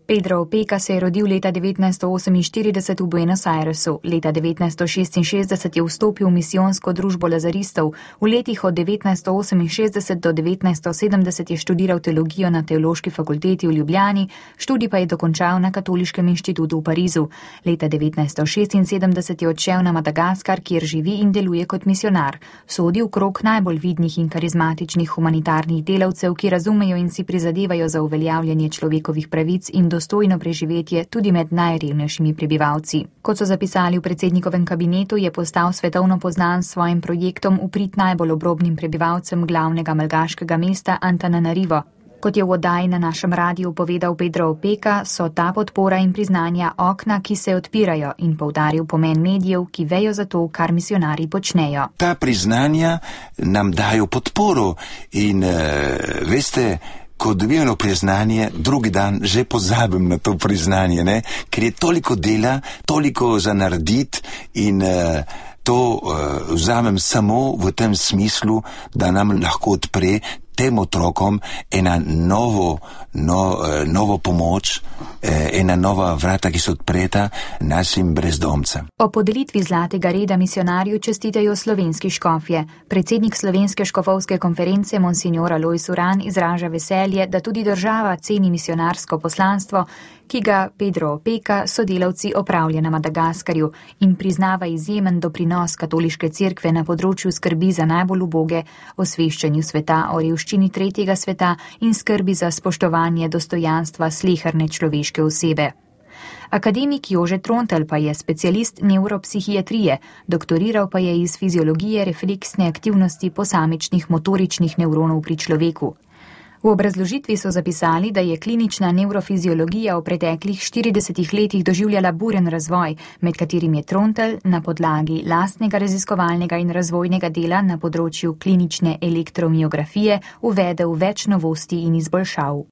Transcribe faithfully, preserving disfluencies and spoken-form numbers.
Pedro Opeka se je rodil leta devetnajststo oseminštirideset v Buenos Airesu. Leta devetnajststo šestinšestdeset je vstopil v misijonsko družbo lazaristov. V letih od devetnajststo oseminšestdeset do devetnajststo sedemdeset je študiral teologijo na Teološki fakulteti v Ljubljani, študij pa je dokončal na Katoliškem inštitutu v Parizu. Leta devetnajststo šestinsedemdeset je odšel na Madagaskar, kjer živi in deluje kot misionar. Sodi v krog najbolj vidnih in karizmatičnih humanitarnih delavcev, ki razumejo in si prizadevajo za uveljavljanje človekovih pravic in dostojno preživetje tudi med najrevnejšimi prebivalci. Kot so zapisali v predsednikovem kabinetu, je postal svetovno poznan s svojim projektom v prid najbolj obrobnim prebivalcem glavnega malgaškega mesta Antananarivo. Kot je v oddaji na našem radiju povedal Pedro Opeka, so ta podpora in priznanja okna, ki se odpirajo, in poudaril pomen medijev, ki vejo za to, kar misionarji počnejo. Ta priznanja nam dajo podporo in uh, veste, ko dobivamo priznanje, drugi dan že pozabim na to priznanje, ne? Ker je toliko dela, toliko za narediti in uh, to uh, vzamem samo v tem smislu, da nam lahko odpre tem otrokom ena novo, no, novo pomoč, ena nova vrata, ki so odpreta našim brezdomcem. O podelitvi zlatega reda misionarju čestitajo slovenski škofje. Predsednik Slovenske škofovske konference Monsignor Alojz Uran izraža veselje, da tudi država ceni misionarsko poslanstvo, ki ga Pedro Opeka sodelavci opravlja na Madagaskarju, in priznava izjemen doprinos katoliške cerkve na področju skrbi za najbolj uboge, osveščanju sveta o revščini tretjega sveta in skrbi za spoštovanje dostojanstva sleherne človeške osebe. Akademik Jože Trontelj pa je specialist nevropsihiatrije, doktoriral pa je iz fiziologije refleksne aktivnosti posamičnih motoričnih nevronov pri človeku. V obrazložitvi so zapisali, da je klinična nevrofiziologija v preteklih štiridesetih letih doživljala buren razvoj, med katerim je Trontelj na podlagi lastnega raziskovalnega in razvojnega dela na področju klinične elektromiografije uvedel več novosti in izboljšav.